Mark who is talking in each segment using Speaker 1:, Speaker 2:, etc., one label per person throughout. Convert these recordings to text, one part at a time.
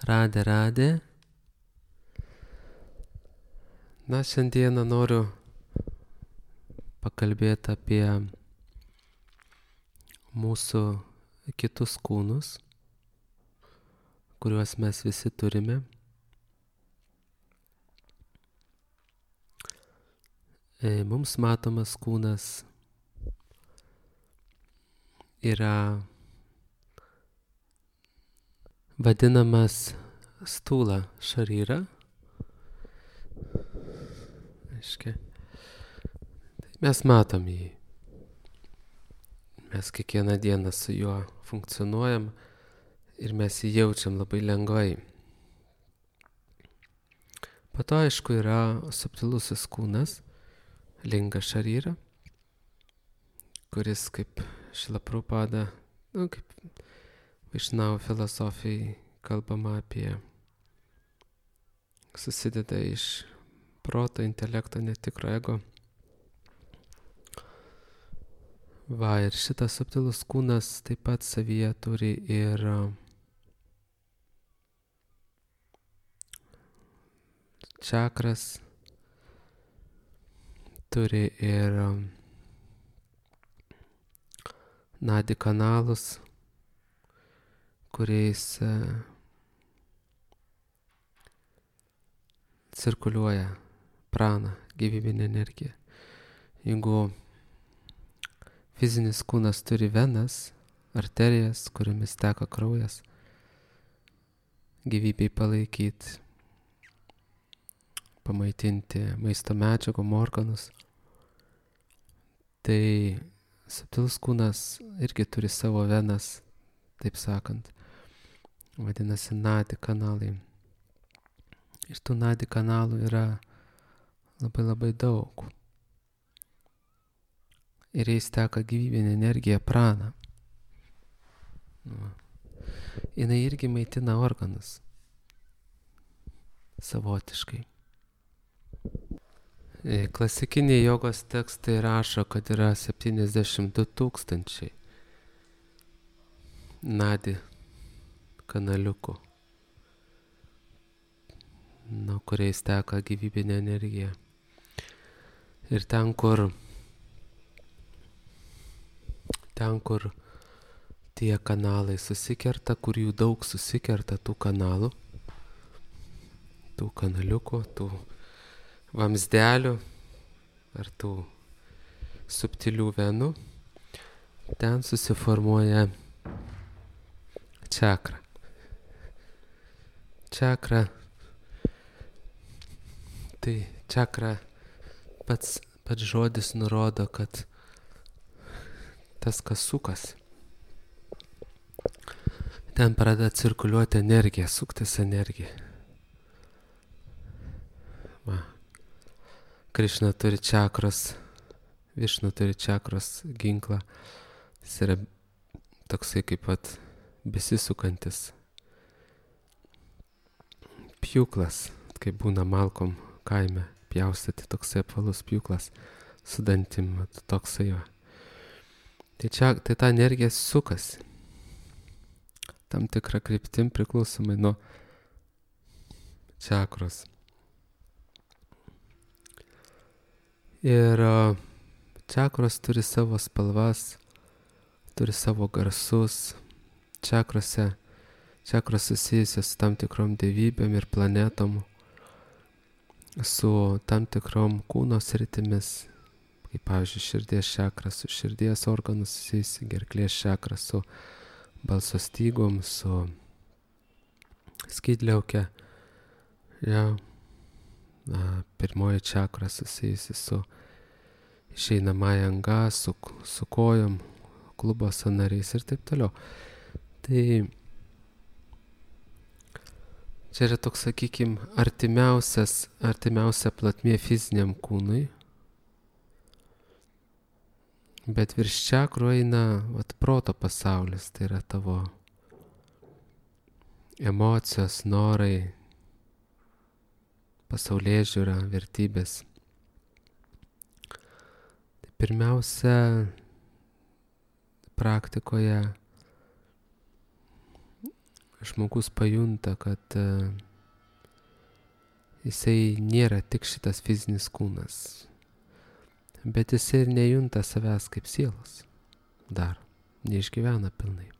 Speaker 1: Radė. Na, šiandieną noriu pakalbėti apie mūsų kitus kūnus, kuriuos mes visi turime. Mums matomas kūnas yra vadinamas stūla šaryra. Mes matom jį. Mes kiekvieną dieną su juo funkcionuojam ir mes jį jaučiam labai lengvai. Po to, aišku, yra subtilusis kūnas, linga šaryra, kuris kaip Šrila Prabhupada, kaip Vaišnavų filosofijai kalbama apie, susideda iš proto, intelekto, netikro ego. Ir šitas subtilus kūnas taip pat savyje turi ir čakras, turi ir nadi kanalus, kuriais cirkuliuoja prana, gyvybinė energija. Jeigu fizinis kūnas turi venas, arterijas, kuriomis teka kraujas, gyvybei palaikyti, pamaitinti maisto medžiagom organus, tai subtilus kūnas irgi turi savo venas, taip sakant, vadinasi nadi kanalai. Ir tų nadi kanalų yra labai daug. Ir jais teka gyvybinė energija prana. Jinai irgi maitina organus savotiškai. Klasikiniai jogos tekstai rašo, kad yra 72 000 nadi kanaliukų, nuo kuriais teka gyvybinė energija. Ir ten, kur tie kanalai susikerta, kur jų daug susikerta tų kanalų, tų kanaliukų, tų vamzdelių ar tų subtilių venų, ten susiformuoja čakra. Čakra, tai čakra pats žodis nurodo, kad tas, kas sukasi, ten pradeda cirkuliuoti energija, suktis energija. Krišna turi čakros, Višnu turi čakros ginklą. Jis yra toksai kaip pat besisukantis pjūklas, kaip būna Malkom kaime pjaustyti, toksai apvalus pjūklas su dantim, toksai jo. Tai ta energija sukasi tam tikrą kryptim priklausomai nuo čakros. Ir čakros turi savo spalvas, turi savo garsus. Čakros susijusios su tam tikrom dievybėm ir planetom, su tam tikrom kūno sritimis, kaip pavyzdžiui širdies čakra su širdies organų susijusi, gerklės čakra su balso stygom, su skydliauke. Pirmoji čakra susijusi su išeinamąja anga, su kojom, klubo sąnariais ir taip toliau. Tai čia yra toks, sakykim, artimiausia platmė fiziniam kūnui. Bet virš čakrų eina proto pasaulis, tai yra tavo emocijos, norai, pasaulėžiūra, vertybės. Tai pirmiausia, praktikoje žmogus pajunta, kad jisai nėra tik šitas fizinis kūnas, bet jisai ir nejunta savęs kaip sielos. Dar neišgyvena pilnai.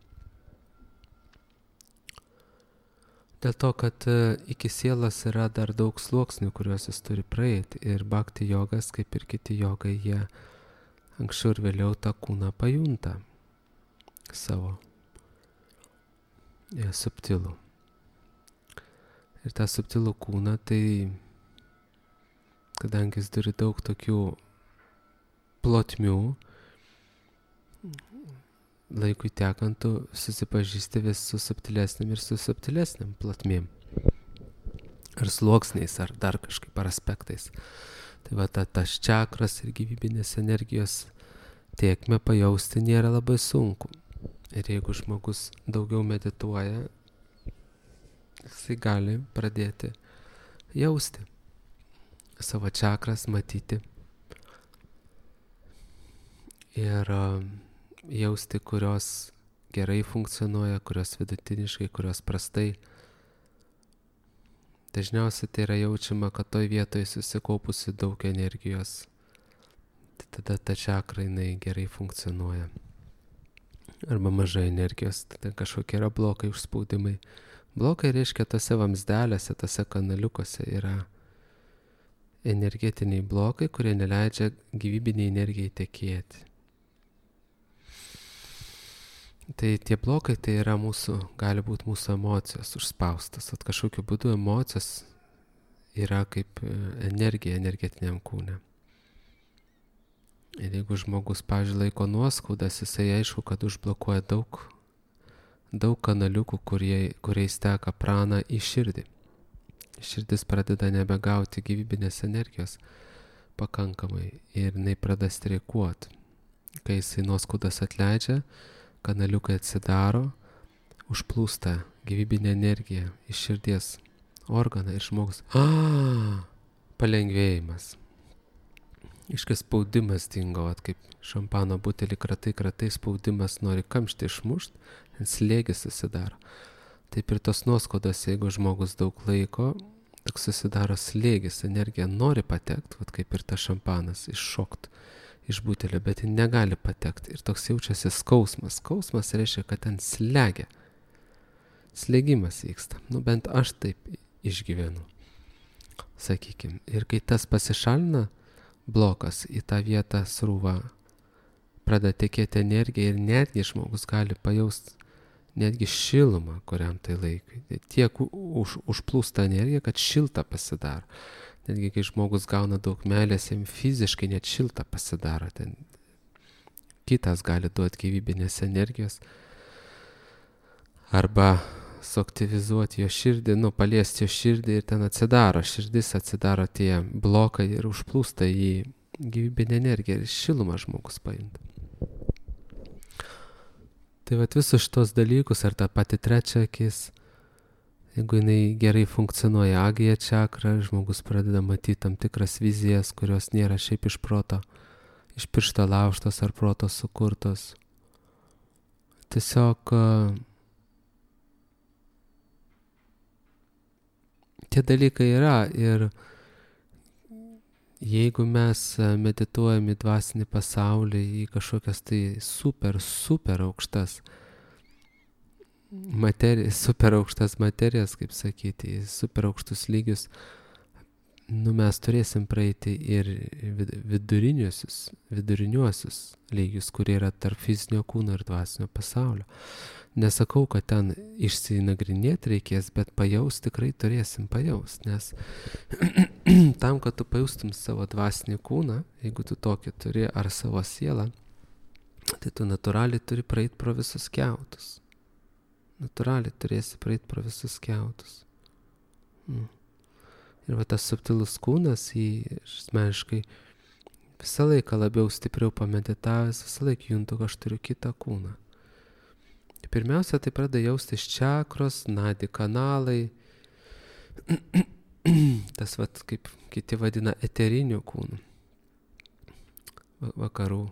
Speaker 1: Dėl to, kad iki sielos yra dar daug sluoksnių, kuriuos jis turi praeiti. Ir bhakti jogas, kaip ir kiti jogai, jie anksčiau ir vėliau tą kūną pajunta savo subtilų. Ir tą subtilų kūną, tai kadangi jis turi daug tokių plotmių, laikui tekant tu susipažįsti vis su subtilesnėm ir su subtilesnėm plotmėm. Ar sluoksniais, ar dar kažkaip, ar aspektais. Tai va, tas čakras ir gyvybinės energijos tėkmę pajausti nėra labai sunku. Ir jeigu žmogus daugiau medituoja, jisai gali pradėti jausti savo čakras, matyti. Ir jausti, kurios gerai funkcionuoja, kurios vidutiniškai, kurios prastai. Dažniausiai tai yra jaučiama, kad toj vietoje susikaupusi daug energijos. Tai tada ta čakra jinai gerai funkcionuoja. Arba mažai energijos, tada kažkokie yra blokai, užspaudimai. Blokai reiškia tose vamsdelėse, tose kanaliukose yra energetiniai blokai, kurie neleidžia gyvybiniai energijai tekėti. Tai tie blokai tai yra gali būti mūsų emocijos užspaustas. At kažkokiu būdu emocijos yra kaip energija energetiniam kūne. Ir jeigu žmogus, pavyzdžiui, laiko nuoskaudas, jisai aišku, kad užblokuoja daug kanaliukų, kuriais teka prana į širdį. Širdis pradeda nebegauti gyvybinės energijos pakankamai ir jinai pradeda streikuoti. Kai jisai nuoskaudas atleidžia, kanaliukai atsidaro, užplūsta gyvybinė energija iš širdies organą ir žmogus. Palengvėjimas. Iškas spaudimas dingo, kaip šampano butelį kratai, spaudimas nori kamštį išmušt, slėgis susidaro. Taip ir tos nuoskaudos, jeigu žmogus daug laiko, tik susidaro slėgis, energija nori patekti, kaip ir tas šampanas, iššokt iš butelio, bet ji negali patekti. Ir toks jaučiasi skausmas. Skausmas reiškia, kad ten slegia. Slėgimas vyksta. Bent aš taip išgyvenu. Sakykim. Ir kai tas pasišalina, blokas į tą vietą srūva, pradeda tekėti energija ir netgi žmogus gali pajausti netgi šilumą kuriam tai laikui. Tiek užplūsta energija, kad šilta pasidaro. Netgi kai žmogus gauna daug meilės, jam fiziškai net šilta pasidaro. Ten kitas gali duoti gyvybinės energijos. Arba suaktyvizuoti jo širdį, paliesti jo širdį ir ten atsidaro. Širdis atsidaro tie blokai ir užplūsta į gyvybinę energiją ir šilumą žmogus paimta. Tai visus šitos dalykus, ar tą patį trečią akis, jeigu jinai gerai funkcionuoja, agija čakra, žmogus pradeda matyti tam tikras vizijas, kurios nėra šiaip iš proto, iš piršto laužtos ar proto sukurtos. Tiesiog tie dalykai yra ir jeigu mes medituojam į dvasinį pasaulį, į kažkokias tai super aukštas super aukštas materijas, kaip sakyti, super aukštus lygius, mes turėsim praeiti ir viduriniuosius lygius, kurie yra tarp fizinio kūno ir dvasinio pasaulio. Nesakau, kad ten išsinagrinėti reikės, bet pajaust tikrai turėsim pajaust, nes tam, kad tu pajaustum savo dvasinį kūną, jeigu tu tokį turi, ar savo sielą, tai tu natūraliai turi praeiti pro visus kiautus. Natūraliai turėsi praeiti pro visus kiautus. Ir tas subtilus kūnas, asmeniškai visą laiką labiau stipriau pameditavęs, visą laiką juntu, kad aš turiu kitą kūną. Pirmiausia, tai pradeda jaustis čakros, nadi kanalai, tas kaip kiti vadina eteriniu kūnu. Vakarų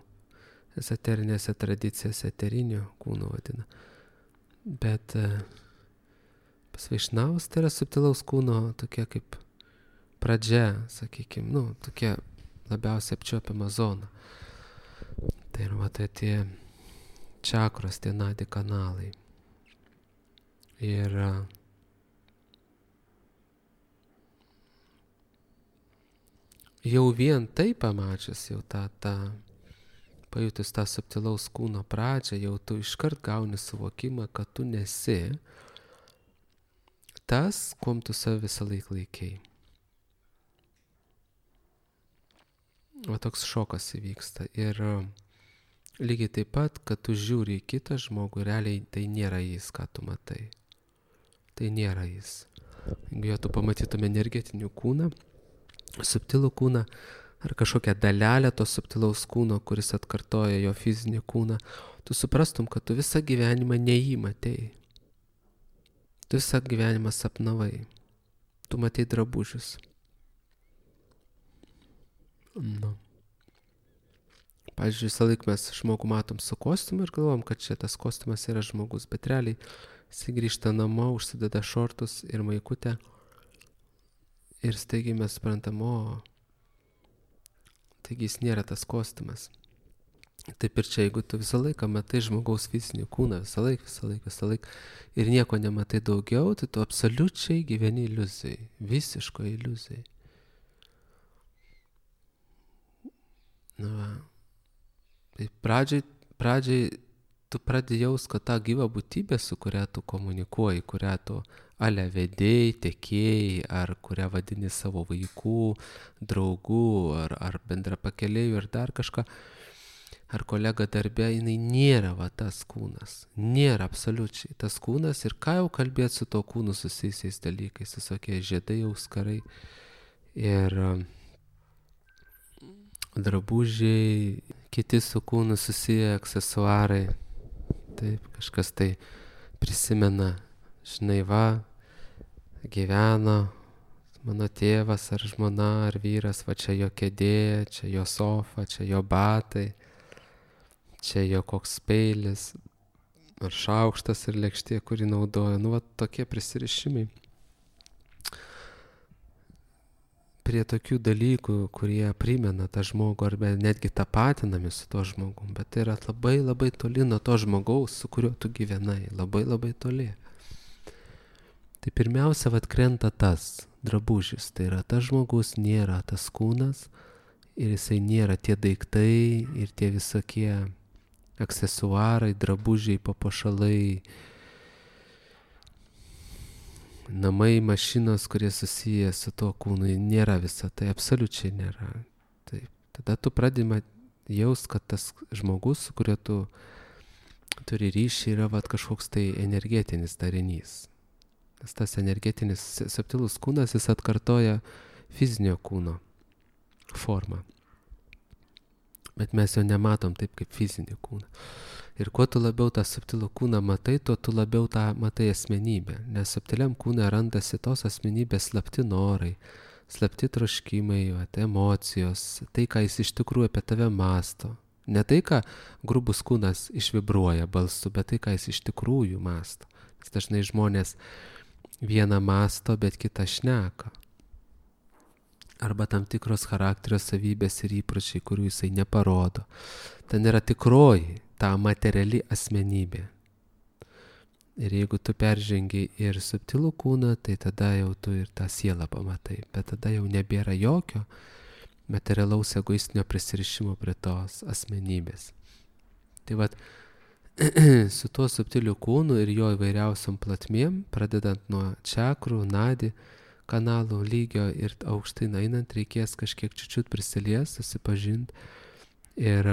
Speaker 1: ezoterinėse tradicijose eteriniu kūnu vadina. Bet Svaišnavas tai yra subtilaus kūno tokia kaip pradžia, sakykime, tokia labiausiai apčiuopiama zona. Tai yra tie čakros, tie nadi kanalai. Ir jau vien tai pamačius, jau pajutus tą subtilaus kūno pradžią, jau tu iškart gauni suvokimą, kad tu nesi tas, kuom tu save visą laiką laikei. Va toks šokas įvyksta. Ir lygiai taip pat, kad tu žiūri į kitą žmogų, realiai tai nėra jis, ką tu matai. Tai nėra jis. Jeigu tu pamatytum energetinį kūną, subtilų kūną, ar kažkokią dalelę to subtilaus kūno, kuris atkartoja jo fizinį kūną, tu suprastum, kad tu visą gyvenimą ne jį matei. Tu visą gyvenimą sapnavai. Tu matei drabužius. Pavyzdžiui, visą laiką mes žmogų matom su kostiumu ir galvom, kad čia tas kostiumas yra žmogus, bet realiai jis grįžta namo, užsideda šortus ir maikutę ir staigiai mes suprantam, taigi jis nėra tas kostiumas. Taip ir čia, jeigu tu visą laiką matai žmogaus fizinį kūną, visą laiką ir nieko nematai daugiau, tai tu absoliučiai gyveni iliuzijai, visiško iliuzijai. Tai pradžiai tu pradedi jaust, kad ta gyva būtybė, su kuria tu komunikuoji, kurią tu vedėjai, tekėjai, ar kurią vadini savo vaikų, draugų, ar bendra pakeleijų, ir dar kažką, ar kolega darbė, jinai nėra tas kūnas. Nėra absoliučiai tas kūnas, ir ką jau kalbėti su to kūnu susijusiais dalykais, visokie žiedai, auskarai ir drabužiai, kiti su kūnu susiję aksesuarai. Taip, kažkas tai prisimena, žinai, gyveno mano tėvas ar žmona ar vyras, čia jo kėdė, čia jo sofa, čia jo batai, čia jo koks peilis, ar šaukštas ir lėkštė, kurį naudoja. Tokie prisirišimai prie tokių dalykų, kurie primena tą žmogų arba netgi tapatinami su to žmogum, bet tai yra labai labai toli nuo to žmogaus, su kuriuo tu gyvenai, labai labai toli. Tai pirmiausia, krenta tas drabužis, tai yra tas žmogus nėra tas kūnas ir jisai nėra tie daiktai ir tie visokie aksesuarai, drabužiai, papuošalai, namai, mašinos, kurie susiję su to kūnu, nėra visa tai, absoliučiai nėra. Taip. Tada tu pradedi jaust, kad tas žmogus, su kuriuo tu turi ryšį, yra kažkoks tai energetinis darinys. Nes tas energetinis subtilus kūnas, jis atkartoja fizinio kūno formą. Bet mes jo nematom taip kaip fizinį kūną. Ir kuo tu labiau tą subtilų kūną matai, tuo tu labiau tą matai asmenybę. Nes subtiliam kūne randasi tos asmenybės slapti norai, slapti troškimai, emocijos, tai, ką jis iš tikrųjų apie tave masto. Ne tai, ką grubus kūnas išvibruoja balsu, bet tai, ką jis iš tikrųjų masto. Nes dažnai žmonės vieną masto, bet kitą šneka. Arba tam tikros charakterio savybės ir įpročiai, kurių jisai neparodo. Ten yra tikroji, ta materiali asmenybė. Ir jeigu tu peržengi ir subtilų kūną, tai tada jau tu ir tą sielą pamatai. Bet tada jau nebėra jokio materialaus egoistinio prisirišimo prie tos asmenybės. Tai su tuo subtiliu kūnu ir jo įvairiausiom platmėm, pradedant nuo čakrų, nadi, kanalų lygio ir aukštai einant, reikės kažkiek čiučiut prisilies, susipažinti. Ir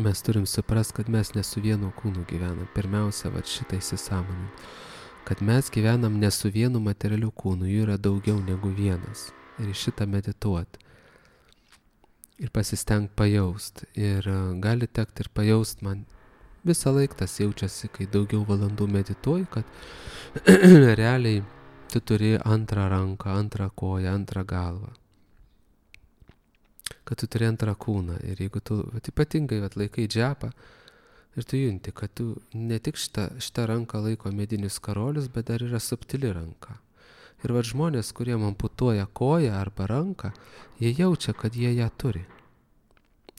Speaker 1: mes turim suprast, kad mes ne su vienu kūnu gyvenam. Pirmiausia, šitą įsisąmoninti. Kad mes gyvenam ne su vienu materialiu kūnu, jų yra daugiau negu vienas. Ir šitą medituoti. Ir pasistengti pajaust. Ir gali tekti ir pajaust man. Visą laiką tas jaučiasi, kai daugiau valandų medituoji, kad realiai tu turi antrą ranką, antrą koją, antrą galvą. Kad tu turi antrą kūną. Ir jeigu tu ypatingai laikai džepą, Ir tu junti, kad tu ne tik šitą ranką laiko medinis karolius, bet dar yra subtili ranka. Ir va žmonės, kurie amputuoja koją arba ranką, jie jaučia, kad jie ją turi.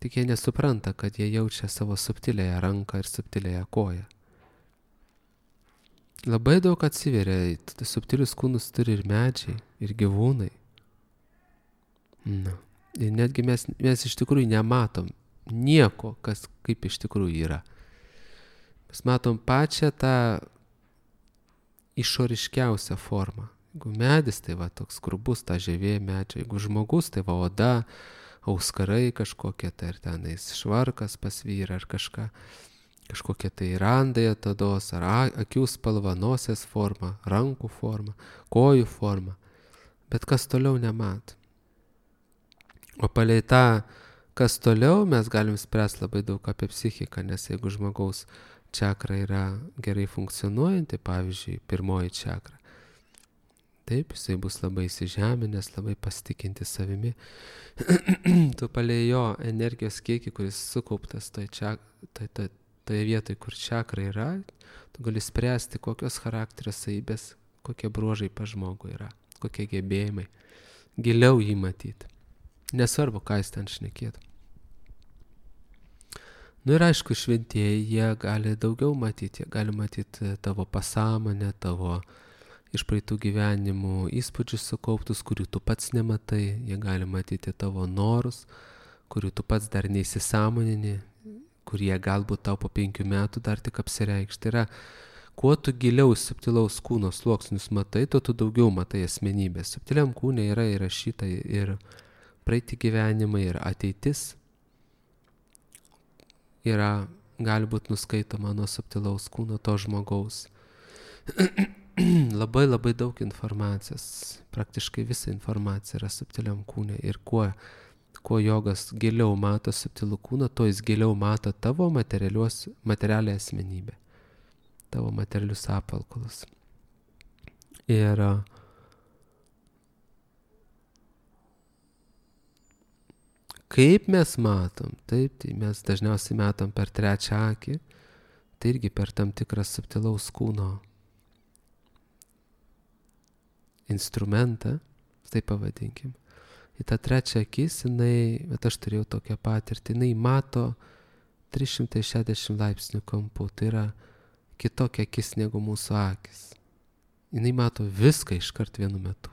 Speaker 1: Tik jie nesupranta, kad jie jaučia savo subtilėją ranką ir subtilėją koją. Labai daug atsiveria, subtilius kūnus turi ir medžiai, ir gyvūnai. Na. Ir netgi mes iš tikrųjų nematom nieko, kas kaip iš tikrųjų yra. Mes matom pačią tą išoriškiausią formą. Jeigu medis, tai va toks grubus, ta žievė medžio. Jeigu žmogus, tai va oda, auskarai kažkokie, tai ir tenais švarkas pas vyrą ar kažkokie tai randai atodos, ar akių spalva, nosies forma, rankų forma, kojų forma. Bet kas toliau nemato. O palei tą, kas toliau, mes galim spręsti labai daug apie psichiką, nes jeigu žmogaus čakra yra gerai funkcionuojanti, pavyzdžiui, pirmoji čakra, taip, jisai bus labai įsižeminęs, labai pasitikinti savimi. Tu palei jo energijos kiekį, kuris sukauptas toje vietoje, kur čakra yra, tu gali spręsti, kokios charakterio savybės, kokie bruožai pas žmogų yra, kokie gebėjimai. Giliau jį matyti. Nesvarbu, ką jis ten šnekėtų. Nu ir aišku, šventieji, jie gali daugiau matyti. Jie gali matyti tavo pasąmonę, tavo iš praeitų gyvenimų įspūdžius sukauptus, kurių tu pats nematai. Jie gali matyti tavo norus, kurių tu pats dar neįsisąmonini, kurie galbūt tau po 5 metų dar tik apsireikš. Tai yra, kuo tu giliau subtilaus kūno sluoksnius matai, tuo tu daugiau matai asmenybės. Subtiliam kūne yra įrašyta ir praeiti gyvenimai, ir ateitis yra, gali būti nuskaitoma nuo subtilaus kūno to žmogaus. Labai labai daug informacijos, praktiškai visa informacija yra subtiliam kūne. Ir kuo jogas giliau mato subtilų kūną, tuo jis giliau mato tavo materialią asmenybę, tavo materialius apvalkalus. Ir kaip mes matom, taip, tai mes dažniausiai matom per trečią akį, tai irgi per tam tikrą subtilaus kūno instrumentą, taip pavadinkim. Į tą trečią akis, bet aš turėjau tokią patirtį, jinai mato 360 laipsnių kampu, tai yra kitokia akis negu mūsų akis. Jinai mato viską iškart vienu metu.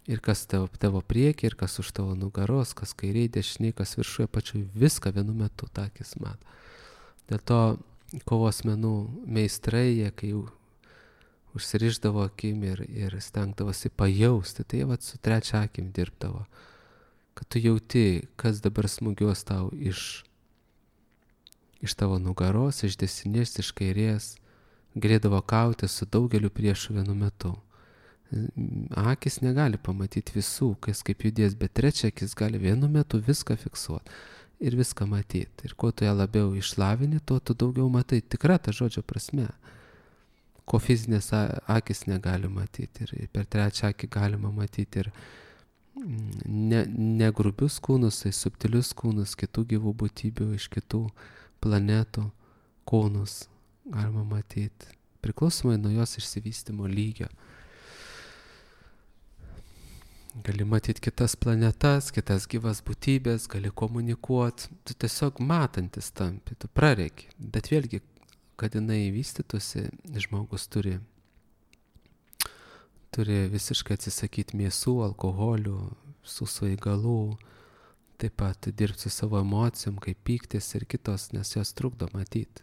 Speaker 1: Ir kas tavo priekį, ir kas už tavo nugaros, kas kairiai, dešiniai, kas viršuje, pačioj viską vienu metu tą akis mato. Dėl to kovos menų meistrai, jie kai jau užsirišdavo akim ir stengdavosi pajausti, tai jie su trečia akim dirbdavo. Kad tu jauti, kas dabar smūgiuos tau iš tavo nugaros, iš dešinės, iš kairės, galėdavo kauti su daugeliu priešų vienu metu. Akis negali pamatyti visų, kas kaip judės, bet trečia akis gali vienu metu viską fiksuoti ir viską matyti. Ir kuo tu ją labiau išlavini, tuo tu daugiau matai. Tikra ta žodžio prasme. Ko fizinės akis negali matyti. Ir per trečią akį galima matyti ir ne grubius kūnus, tai subtilius kūnus, kitų gyvų būtybių, iš kitų planetų kūnus galima matyti. Priklausomai nuo jos išsivystymo lygio. Gali matyti kitas planetas, kitas gyvas būtybės, gali komunikuoti. Tu tiesiog matantis tampi, tu prareki. Bet vėlgi, kad jinai vystytųsi, žmogus turi visiškai atsisakyti mėsų, alkoholių, su svaigalų, taip pat dirbti su savo emocijom, kaip pyktis ir kitos, nes jos trukdo matyti.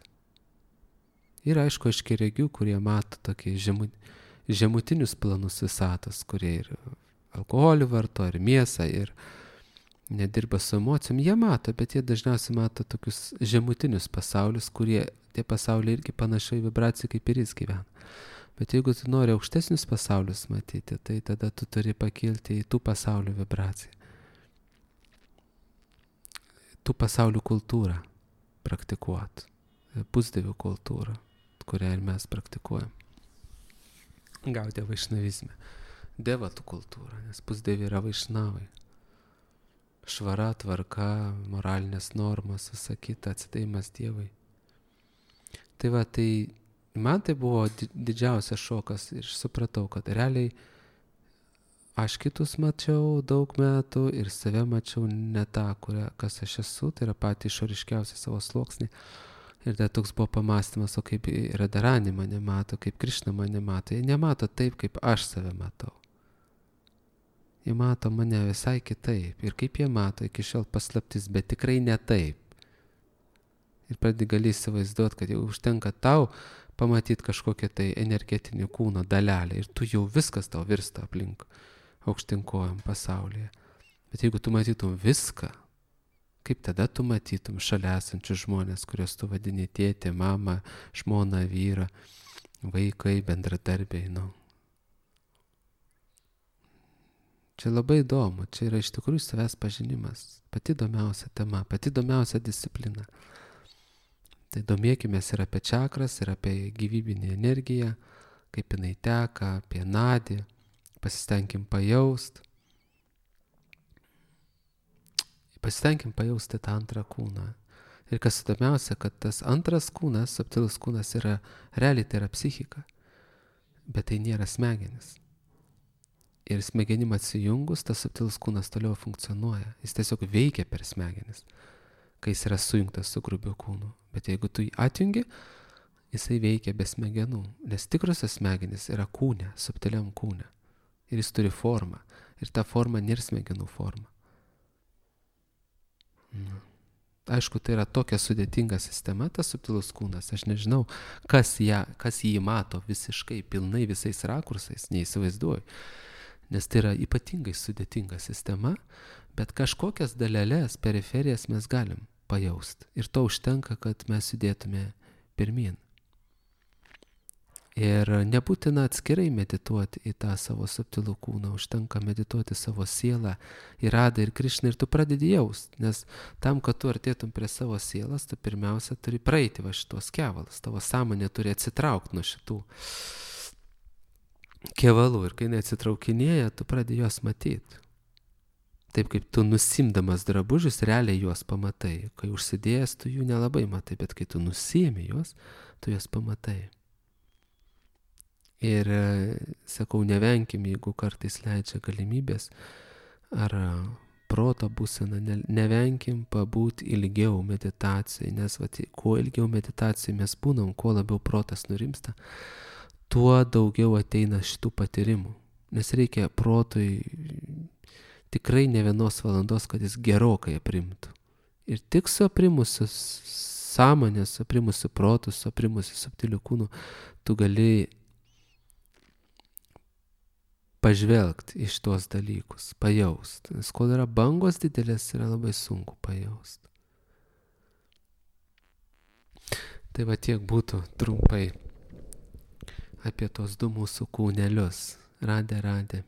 Speaker 1: Ir aišku, aiškiaregių, kurie mato tokie žemutinius planus visatos, kurie ir alkoholį varto, ir mėsą, ir nedirba su emocijom, jie mato, bet jie dažniausiai mato tokius žemutinius pasaulius, kurie tie pasauliai irgi panašiai vibracijai kaip ir jis gyvena. Bet jeigu tu nori aukštesnius pasaulius matyti, tai tada tu turi pakilti į tų pasaulių vibraciją. Tų pasaulių kultūrą praktikuot. Pusdievių kultūrą, kurią ir mes praktikuojam. Gauti vaišnavizme. Devatų kultūra, nes pusdieviai yra vaišnavai. švara, tvarka, moralinės normas, visa kita, atsidėjimas Dievui. Tai va, tai man tai buvo didžiausias šokas ir supratau, kad realiai aš kitus mačiau daug metų ir save mačiau ne tą, kas aš esu, tai yra patį išoriškiausią savo sluoksnį. Ir tai toks buvo pamastymas, o kaip Radharani mane mato, kaip Krišna mane mato. Jie nemato taip, kaip aš save matau. Jie mato mane visai kitaip. Ir kaip jie mato, iki šiol paslaptis, bet tikrai ne taip. Ir pradedi gali įsivaizduoti, kad jau užtenka tau pamatyti kažkokią tai energetinį kūno dalelę. Ir tu jau viskas tau virsta aplink aukštinkojam pasaulyje. Bet jeigu tu matytum viską, kaip tada tu matytum šalia esančius žmonės, kuriuos tu vadini tėtė, mama, žmona, vyra, vaikai, bendradarbiai, Čia labai įdomu, čia yra iš tikrųjų savęs pažinimas, pati įdomiausia tema, pati įdomiausia disciplina. Tai domėkimės ir apie čakras, ir apie gyvybinį energiją, kaip jinai teka, apie nadį, pasistengim pajaust. Pasistengim pajausti tą antrą kūną. Ir kas įdomiausia, kad tas antras kūnas, subtilus kūnas, yra realiai tai yra psichika, bet tai nėra smegenis. Ir smegenim atsijungus, tas subtilus kūnas toliau funkcionuoja. Jis tiesiog veikia per smegenis, kai jis yra sujungtas su grubiu kūnu. Bet jeigu tu jį atjungi, jisai veikia be smegenų, nes tikrosios smegenis yra kūne, subtiliam kūne. Ir jis turi formą. Ir ta forma nėra smegenų forma. Aišku, tai yra tokia sudėtinga sistema, tas subtilus kūnas. Aš nežinau, kas jį mato visiškai, pilnai visais rakursais, neįsivaizduoju. Nes tai yra ypatingai sudėtinga sistema, bet kažkokias dalelės, periferijas mes galim pajausti. Ir to užtenka, kad mes judėtume pirmyn. Ir nebūtina atskirai medituoti į tą savo subtilų kūną, užtenka medituoti savo sielą, į Radą ir Krišną ir tu pradedi jaust, nes tam, kad tu artėtum prie savo sielas, tu pirmiausia turi praeiti va šitos kevalus, tavo sąmonė turi atsitraukti nuo šitų kevalų ir kai neatsitraukinėja, tu pradedi juos matyti. Taip kaip tu nusimdamas drabužius, realiai juos pamatai, kai užsidėjęs tu jų nelabai matai, bet kai tu nusiimi juos, tu juos pamatai. Ir sakau, nevenkim, jeigu kartais leidžia galimybės ar proto būsena, nevenkim pabūti ilgiau meditacijai, nes kuo ilgiau meditacijai mes būnam, kuo labiau protas nurimsta, tuo daugiau ateina šitų patyrimų. Nes reikia protui tikrai ne 1 valandos, kad jis gerokai aprimtų. Ir tik su aprimusiu sąmonės, su aprimusiu protu, su aprimusiu subtiliu kūnu, tu gali pažvelgti iš tuos dalykus, pajaust. Nes kol yra bangos didelės, yra labai sunku pajaust. Tai va tiek būtų trumpai apie tos 2 mūsų kūnelius. Radė.